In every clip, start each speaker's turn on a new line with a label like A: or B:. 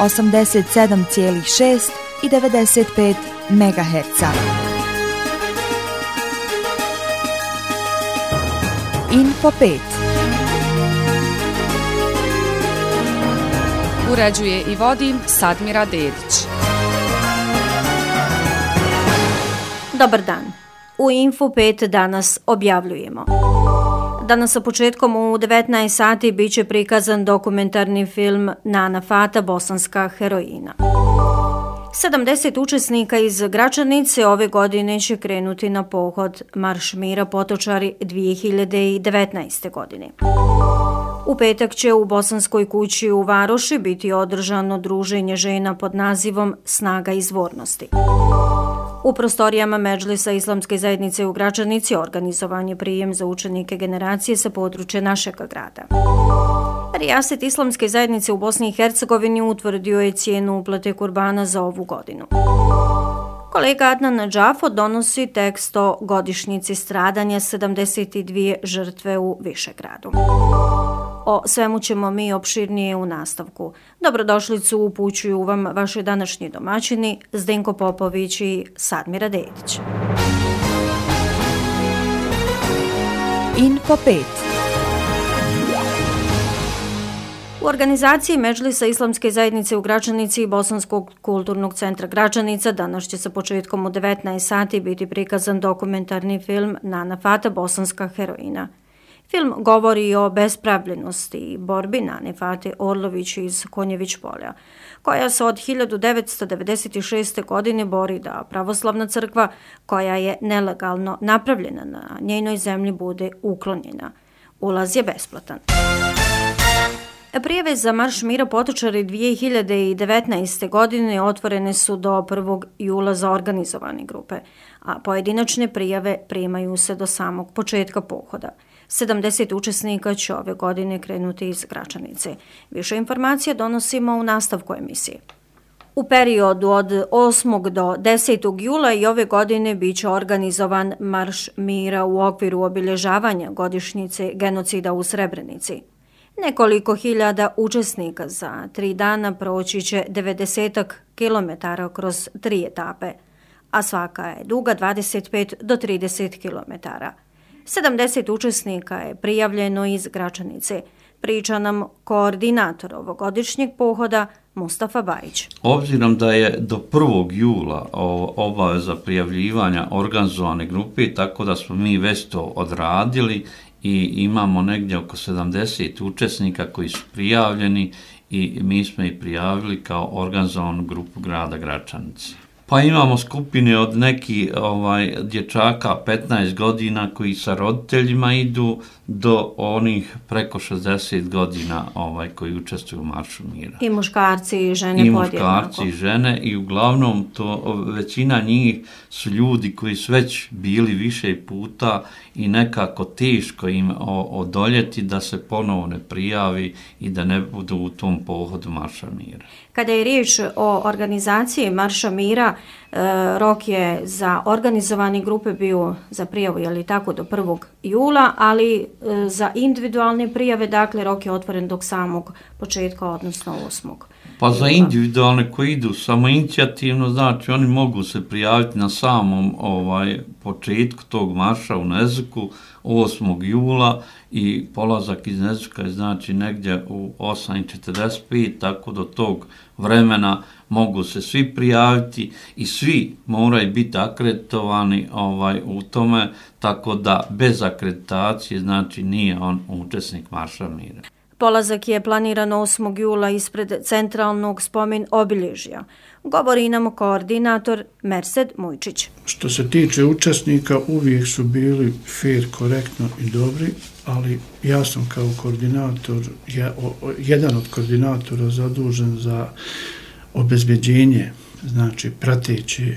A: 87,6 i 95 MHz. Info 5.
B: Uređuje i vodi Sadmira Dedić.
C: Dobar dan. U Info 5 danas objavljujemo. Danas sa početkom u 19 sati biće prikazan dokumentarni film Nana Fata, bosanska heroina. 70 učesnika iz Gračanice ove godine će krenuti na pohod Marš mira Potočari 2019. godine. U petak će u Bosanskoj kući u Varoši biti održano druženje žena pod nazivom Snaga izvornosti. U prostorijama Medžlisa Islamske zajednice u Gračanici organizovan je prijem za učenike generacije sa područja našeg grada. Rijaset Islamske zajednice u Bosni i Hercegovini utvrdio je cijenu uplate kurbana za ovu godinu. Kolega Adnan Džafo donosi tekst o godišnjici stradanja 72 žrtve u Višegradu. O svemu ćemo mi opširnije u nastavku. Dobrodošlicu upućuju vam vaši današnji domaćini Zdenko Popović i Sadmira Dedić.
A: Info 5.
C: U organizaciji Medžlisa Islamske zajednice u Gračanici i Bosanskog kulturnog centra Gračanica danas će sa početkom u 19 sati biti prikazan dokumentarni film Nana Fata, bosanska heroina. Film govori o bespravljenosti i borbi Nane Fate Orlović iz Konjević polja, koja se od 1996. godine bori da pravoslavna crkva, koja je nelegalno napravljena na njenoj zemlji, bude uklonjena. Ulaz je besplatan. Prijave za Marš mira Potočari 2019. godine otvorene su do 1. jula za organizovane grupe, a pojedinačne prijave primaju se do samog početka pohoda. 70 učesnika će ove godine krenuti iz Gračanice. Više informacija donosimo u nastavku emisije. U periodu od 8. do 10. jula i ove godine biće organizovan Marš mira u okviru obilježavanja godišnjice genocida u Srebrenici. Nekoliko hiljada učesnika za 3 dana proći će 90 kilometara kroz 3 etape, a svaka je duga 25 do 30 kilometara. 70 učesnika je prijavljeno iz Gračanice. Priča nam koordinator ovogodišnjeg pohoda Mustafa Bajić.
D: Obzirom da je do 1. jula obaveza prijavljivanja organizovane grupe, tako da smo mi već to odradili i imamo negdje oko 70 učesnika koji su prijavljeni i mi smo ih prijavili kao organizovanu grupu grada Gračanice. Pa imamo skupine od nekih dječaka 15 godina koji sa roditeljima idu do onih preko 60 godina koji učestvuju u Maršu mira.
C: I muškarci i žene podjednako.
D: I muškarci i žene i uglavnom većina njih su ljudi koji su već bili više puta i nekako teško im odoljeti da se ponovo ne prijavi i da ne budu u tom pohodu Marša mira.
C: Kada je riječ o organizaciji Marša mira, rok je za organizovane grupe bio za prijavu, je li tako, do 1. jula, ali za individualne prijave, dakle, rok je otvoren do samog početka, odnosno 8.
D: Pa za individualne koji idu samo inicijativno, znači oni mogu se prijaviti na samom početku tog marša u Nezuku 8. jula i polazak iz Nezuka je znači negdje u 8:45, tako do tog vremena mogu se svi prijaviti i svi moraju biti akreditovani u tome, tako da bez akreditacije znači nije on učesnik Marša mira.
C: Polazak je planiran 8. jula ispred centralnog spomen obilježja. Govori nam koordinator Mersed Mujčić.
E: Što se tiče učesnika, uvijek su bili fair, korektno i dobri, ali ja sam kao koordinator, jedan od koordinatora zadužen za obezbeđenje, znači prateće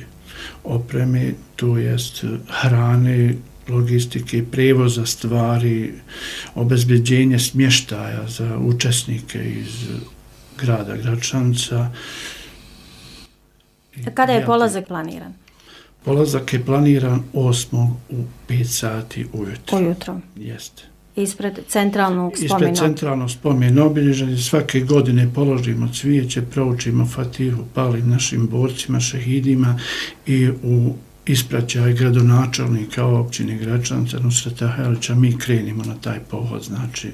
E: opreme, to jest hrane, logistike, prevoza stvari, obezbeđenje smještaja za učesnike iz grada Gračanca.
C: Kada je polazak planiran?
E: Polazak je planiran 8. u 5 sati ujutro.
C: Ujutro.
E: Jeste.
C: Ispred centralnog spomena.
E: Ispred centralnog spomena obilježen, svake godine položimo cvijeće, proučimo Fatihu, palim našim borcima, šehidima i u ispraćaj gradonačelnika općine Gračanica Nusreta Helića mi krenimo na taj pohod. Znači,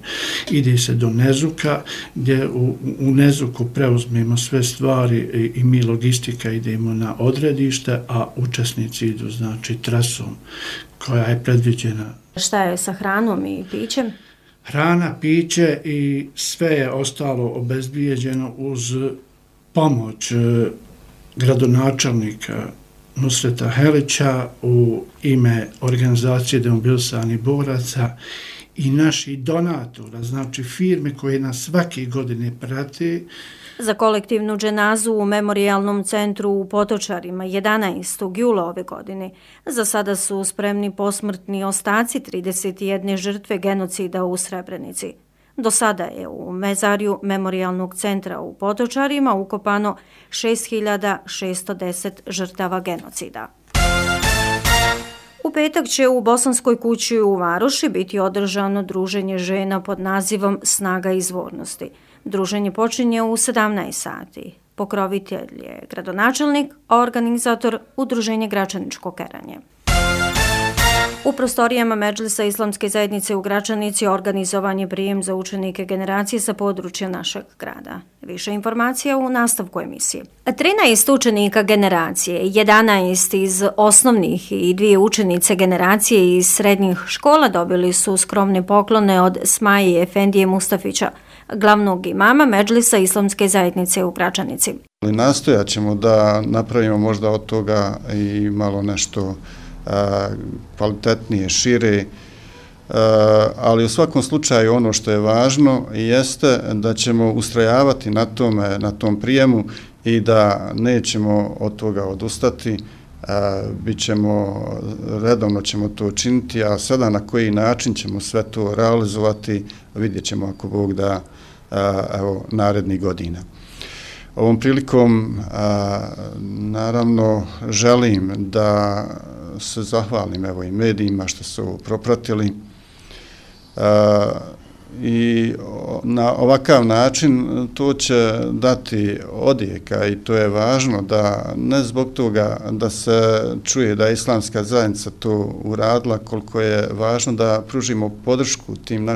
E: ide se do Nezuka, gdje u Nezuku preuzmemo sve stvari i mi logistika idemo na odredište, a učesnici idu, znači, trasom koja je predviđena.
C: Šta je sa hranom i pićem?
E: Hrana, piće i sve je ostalo obezbijeđeno uz pomoć gradonačelnika Nusreta Helića u ime organizacije demobilisanih boraca i naših donatora, znači firme koje nas svake godine prate.
C: Za kolektivnu dženazu u memorijalnom centru u Potočarima 11. jula ove godine za sada su spremni posmrtni ostaci 31 žrtve genocida u Srebrenici. Do sada je u mezarju memorijalnog centra u Potočarima ukopano 6.610 žrtava genocida. U petak će u Bosanskoj kući u Varoši biti održano druženje žena pod nazivom Snaga izvornosti. Druženje počinje u 17 sati. Pokrovitelj je gradonačelnik, a organizator Udruženje Gračaničko Keranje. U prostorijama Medžlisa Islamske zajednice u Gračanici organizovan je prijem za učenike generacije sa područja našeg grada. Više informacija u nastavku emisije. 13 učenika generacije, 11 iz osnovnih i 2 učenice generacije iz srednjih škola dobili su skromne poklone od Smaje Efendije Mustafića, glavnog imama Medžlisa Islamske zajednice u Gračanici.
F: Nastojat ćemo da napravimo možda od toga i malo nešto kvalitetnije, šire, ali u svakom slučaju ono što je važno jeste da ćemo ustrajavati na tom prijemu i da nećemo od toga odustati, redovno ćemo to činiti, a sada na koji način ćemo sve to realizovati vidjet ćemo ako Bog da narednih godina. Ovom prilikom naravno želim da se zahvalim i medijima što su propratili i na ovakav način to će dati odjeka i to je važno da ne zbog toga da se čuje da je Islamska zajednica to uradila, koliko je važno da pružimo podršku tim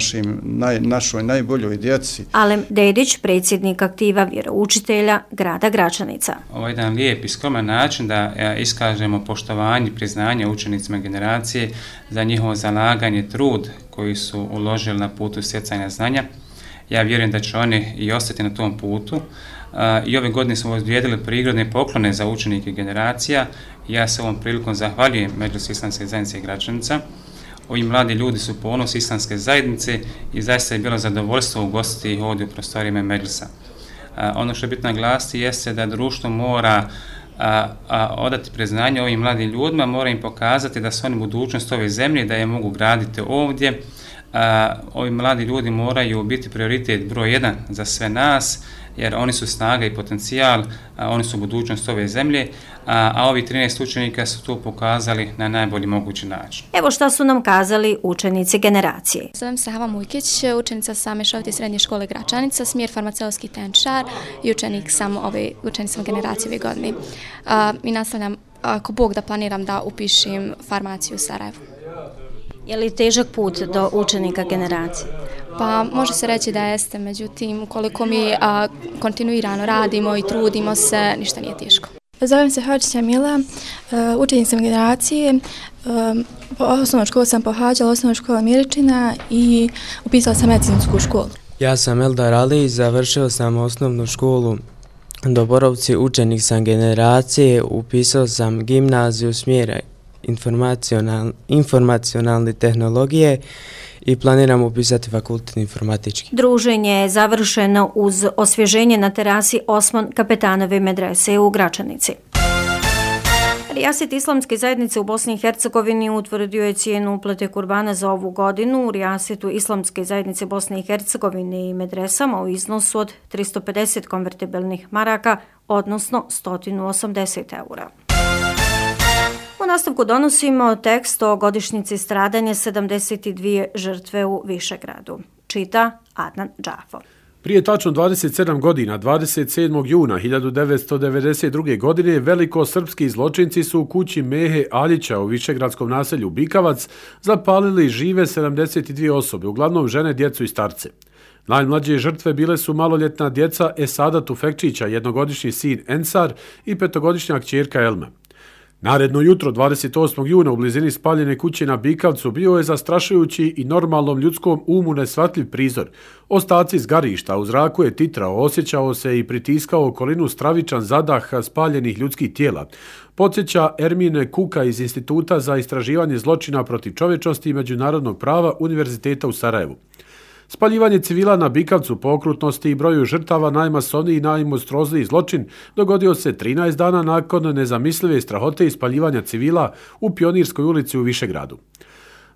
F: našoj najboljoj djeci.
C: Alem Dedić, predsjednik aktiva vjeroučitelja grada Gračanica.
G: Ovo je jedan lijep i skroman način da iskažemo poštovanje i priznanje učenicima generacije za njihovo zalaganje, trud koji su uložili na putu stjecanja znanja. Ja vjerujem da će oni i ostati na tom putu. I ove godine smo odvijedili prigodne poklone za učenike generacija. Ja se ovom prilikom zahvaljujem Medžlisu Islamske zajednice Gračanica. Ovi mladi ljudi su ponos Islamske zajednice i zaista je bilo zadovoljstvo ugostiti ih ovdje u prostorijama Medžlisa. Ono što je bitno naglasiti jeste da društvo mora odati priznanje ovim mladim ljudima, mora im pokazati da su oni budućnost ove zemlje, da je mogu graditi ovdje. Ovi mladi ljudi moraju biti prioritet broj 1 za sve nas, jer oni su snaga i potencijal, oni su budućnost ove zemlje, a ovi 13 učenika su to pokazali na najbolji mogući način.
C: Evo šta su nam kazali učenici generacije.
H: Zovem se Hava Mujkić, učenica sam Mešovite srednje škole Gračanica, smjer farmaceutski tehničar i učenik sam generacije ove godine. I nastavljam, ako Bog da planiram da upišem farmaciju u Sarajevu.
C: Je li težak put do učenika generacije?
H: Pa može se reći da jeste, međutim, ukoliko mi kontinuirano radimo i trudimo se, ništa nije teško.
I: Zovem se Hođića Mila, učenik sam generacije, osnovnu školu sam pohađala, osnovnu školu Miričina i upisala sam medicinsku školu.
J: Ja sam Eldar Ali, završio sam osnovnu školu do Borovci, učenik sam generacije, upisao sam gimnaziju smjera informacionalne tehnologije i planiram upisati fakultet informatički.
C: Druženje je završeno uz osvježenje na terasi Osman Kapetanove medrese u Gračanici. Rijaset Islamske zajednice u Bosni i Hercegovini utvrdio je cijenu uplate kurbana za ovu godinu u Rijasetu Islamske zajednice Bosne i Hercegovine i medresama u iznosu od 350 konvertibilnih maraka, odnosno 180 eura. U nastavku donosimo tekst o godišnjici stradanja 72 žrtve u Višegradu. Čita Adnan Džafo.
K: Prije tačno 27 godina, 27. juna 1992. godine, velikosrpski zločinci su u kući Mehe Aljića u višegradskom naselju Bikavac zapalili žive 72 osobe, uglavnom žene, djecu i starce. Najmlađe žrtve bile su maloljetna djeca Esada Tufekčića, jednogodišnji sin Ensar i petogodišnja kćerka Elma. Naredno jutro, 28. juna, u blizini spaljene kuće na Bikavcu bio je zastrašujući i normalnom ljudskom umu nesvatljiv prizor. Ostaci zgarišta u zraku je titrao, osjećao se i pritiskao okolinu stravičan zadah spaljenih ljudskih tijela. Podsjeća Ermine Kuka iz Instituta za istraživanje zločina protiv čovječnosti i međunarodnog prava Univerziteta u Sarajevu. Spaljivanje civila na Bikavcu po okrutnosti i broju žrtava najmasovniji i najmonstruozniji zločin dogodio se 13 dana nakon nezamislive strahote ispaljivanja civila u Pionirskoj ulici u Višegradu.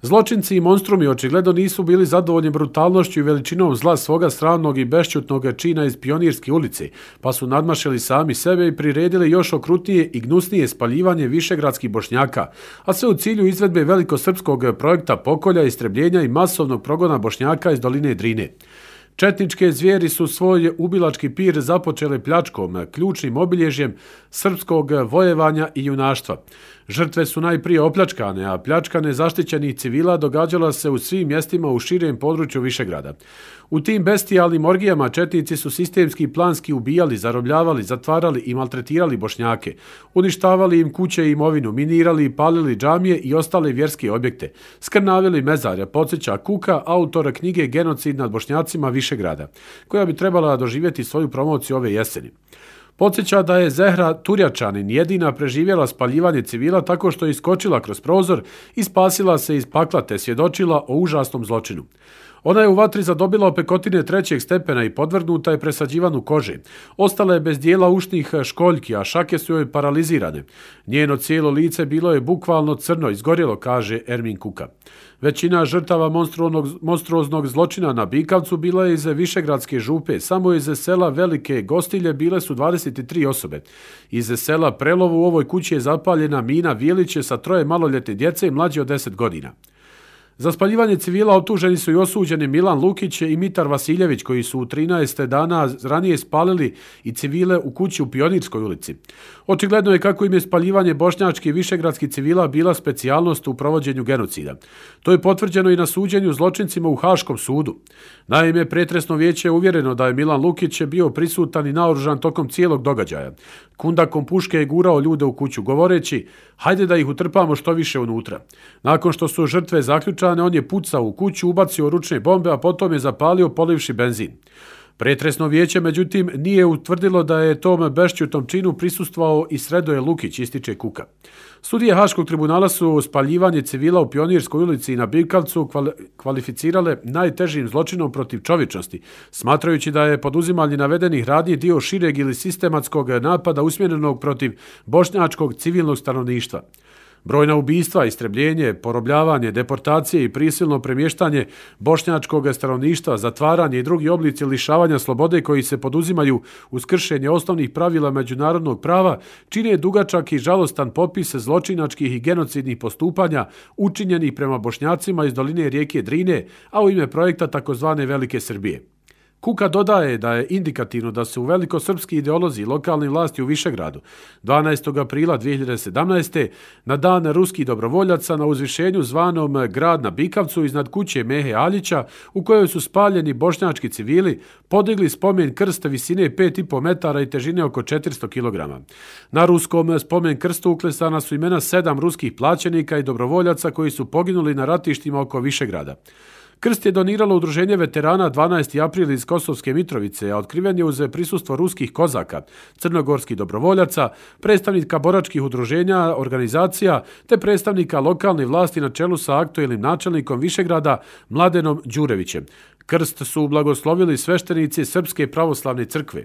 K: Zločinci i monstrumi očigledno nisu bili zadovoljni brutalnošću i veličinom zla svoga sramnog i bešćutnog čina iz Pionirske ulice, pa su nadmašili sami sebe i priredili još okrutnije i gnusnije spaljivanje višegradskih Bošnjaka, a sve u cilju izvedbe velikosrpskog projekta pokolja, istrebljenja i masovnog progona Bošnjaka iz doline Drine. Četničke zvijeri su svoj ubilački pir započele pljačkom, ključnim obilježjem srpskog vojevanja i junaštva. Žrtve su najprije opljačkane, a pljačkane zaštićenih civila događala se u svim mjestima u širem području Višegrada. U tim bestijalnim orgijama četnici su sistemski i planski ubijali, zarobljavali, zatvarali i maltretirali Bošnjake, uništavali im kuće i imovinu, minirali i palili džamije i ostale vjerske objekte, skrnavili mezarja, podsjeća Kuka, autor knjige Genocid nad Bošnjacima Višegrada, koja bi trebala doživjeti svoju promociju ove jeseni. Podsjeća da je Zehra Turjačanin jedina preživjela spaljivanje civila tako što je iskočila kroz prozor i spasila se iz pakla te svjedočila o užasnom zločinu. Ona je u vatri zadobila opekotine 3. stepena i podvrgnuta je presađivanu kože. Ostala je bez dijela ušnih školjki, a šake su joj paralizirane. Njeno cijelo lice bilo je bukvalno crno, izgorjelo, kaže Ermin Kuka. Većina žrtava monstruoznog zločina na Bikavcu bila je iz Višegradske župe. Samo iz sela Velike Gostilje bile su 23 osobe. Iz sela Prelovo u ovoj kući je zapaljena Mina Vjeliće sa 3 maloljetne djece mlađe od 10 godina. Za spaljivanje civila optuženi su i osuđeni Milan Lukić i Mitar Vasiljević, koji su u 13 dana ranije spalili i civile u kući u Pionirskoj ulici. Očigledno je kako im je spaljivanje bošnjačkih i višegradskih civila bila specijalnost u provođenju genocida. To je potvrđeno i na suđenju zločincima u Haškom sudu. Naime, pretresno vijeće je uvjereno da je Milan Lukić bio prisutan i naoružan tokom cijelog događaja. Kundakom puške je gurao ljude u kuću, govoreći: hajde da ih utrpamo što više unutra. Nakon što su žrtve zaključane, on je pucao u kuću, ubacio ručne bombe, a potom je zapalio polivši benzin. Pretresno vijeće, međutim, nije utvrdilo da je tom bešćutom činu prisustvovao i Sredoje Lukić, ističe Kuka. Sudije Haškog tribunala su spaljivanje civila u Pionirskoj ulici i na Bikavcu kvalificirale najtežim zločinom protiv čovječnosti, smatrajući da je poduzimanje navedenih radnji dio šireg ili sistematskog napada usmjerenog protiv bošnjačkog civilnog stanovništva. Brojna ubistva, istrebljenje, porobljavanje, deportacije i prisilno premještanje bošnjačkog stanovništva, zatvaranje i drugi oblici lišavanja slobode koji se poduzimaju uz kršenje osnovnih pravila međunarodnog prava čine dugačak i žalostan popis zločinačkih i genocidnih postupanja učinjenih prema Bošnjacima iz doline rijeke Drine, a u ime projekta takozvane Velike Srbije. Kuka dodaje da je indikativno da se u velikosrpski ideolozi lokalne vlasti u Višegradu 12. aprila 2017. na dan ruskih dobrovoljaca na uzvišenju zvanom Grad na Bikavcu iznad kuće Mehe Aljića, u kojoj su spaljeni bošnjački civili, podigli spomen krst visine 5,5 metara i težine oko 400 kg. Na ruskom spomen krstu uklesana su imena 7 ruskih plaćenika i dobrovoljaca koji su poginuli na ratištima oko Višegrada. Krst je doniralo udruženje veterana 12. april iz Kosovske Mitrovice, a otkriven je uz prisustvo ruskih kozaka, crnogorskih dobrovoljaca, predstavnika boračkih udruženja, organizacija, te predstavnika lokalne vlasti na čelu sa aktuelnim načelnikom Višegrada Mladenom Đurevićem. Krst su blagoslovili sveštenici Srpske pravoslavne crkve.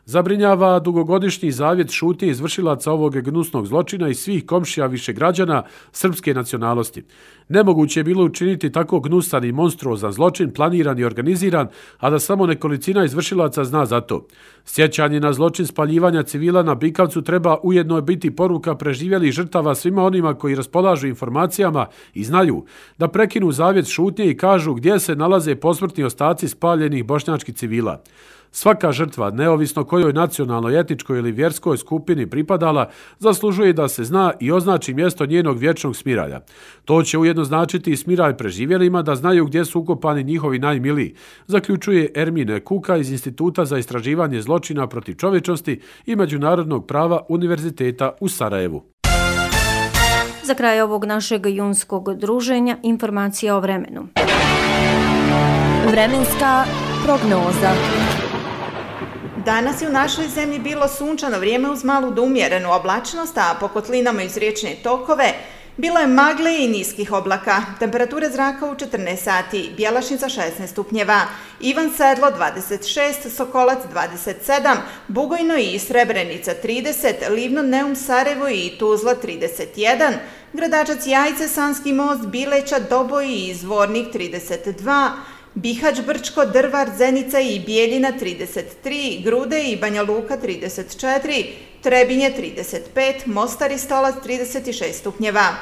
K: Zabrinjava dugogodišnji zavjet šutnje izvršilaca ovog gnusnog zločina i svih komšija višegrađana srpske nacionalnosti. Nemoguće je bilo učiniti tako gnusan i monstruozan zločin, planiran i organiziran, a da samo nekolicina izvršilaca zna za to. Sjećanje na zločin spaljivanja civila na Bikavcu treba ujedno biti poruka preživjelih žrtava svima onima koji raspolažu informacijama i znaju da prekinu zavjet šutnje i kažu gdje se nalaze posmrtni ostaci spaljenih bošnjačkih civila. Svaka žrtva, neovisno kojoj nacionalnoj, etičkoj ili vjerskoj skupini pripadala, zaslužuje da se zna i označi mjesto njenog vječnog smiralja. To će ujedno značiti i smiraj preživjelima da znaju gdje su ukopani njihovi najmiliji, zaključuje Ermine Kuka iz Instituta za istraživanje zločina protiv čovječnosti i međunarodnog prava Univerziteta u Sarajevu.
C: Za kraj ovog našeg junskog druženja informacija o vremenu.
A: Vremenska prognoza.
L: Danas je u našoj zemlji bilo sunčano vrijeme uz malu do umjerenu oblačnost, a po kotlinama iz riječne tokove bilo je magle i niskih oblaka. Temperature zraka u 14 sati, Bjelašnica 16 stupnjeva, Ivan Sedlo 26, Sokolac 27, Bugojno i Srebrenica 30, Livno, Neum, Sarajevo i Tuzla 31, Gradačac, Jajce, Sanski most, Bileća, Doboj i Zvornik 32, Bihać, Brčko, Drvar, Zenica i Bijeljina 33, Grude i Banja Luka 34, Trebinje 35, Mostar i Stolac 36 stupnjeva.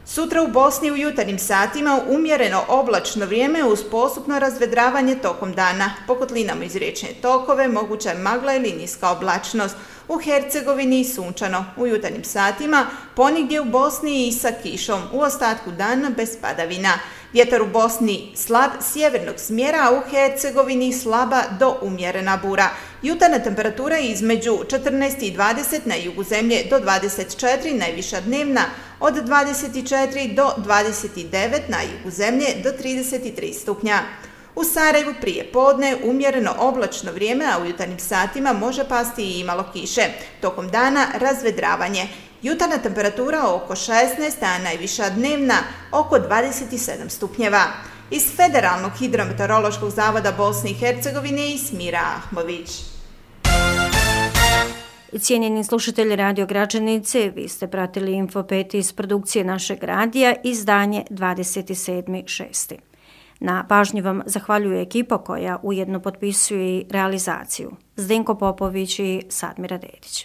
L: Sutra u Bosni u jutarnjim satima umjereno oblačno vrijeme uz postupno razvedravanje tokom dana. Po kotlinama iz riječne tokove moguća je magla ili niska oblačnost. U Hercegovini sunčano. U jutarnjim satima ponigdje u Bosni i sa kišom. U ostatku dana bez padavina. Vjetar u Bosni slab sjevernog smjera, a u Hercegovini slaba do umjerena bura. Jutarnja temperatura između 14 i 20 na jugu zemlje do 24, najviša dnevna od 24 do 29, na jugu zemlje do 33 stupnja. U Sarajevu prije podne umjereno oblačno vrijeme, a u jutarnjim satima može pasti i malo kiše. Tokom dana razvedravanje. Jutarnja temperatura oko 16, a najviša dnevna oko 27 stupnjeva. Iz Federalnog hidrometeorološkog zavoda Bosne i Hercegovine i Smira Ahmović.
C: Cijenjeni slušatelji Radio Gračanice, vi ste pratili Info 5 iz produkcije našeg radija, izdanje 27.6. Na pažnji vam zahvaljuje ekipa koja ujedno potpisuje i realizaciju. Zdenko Popović i Sadmira Dedić.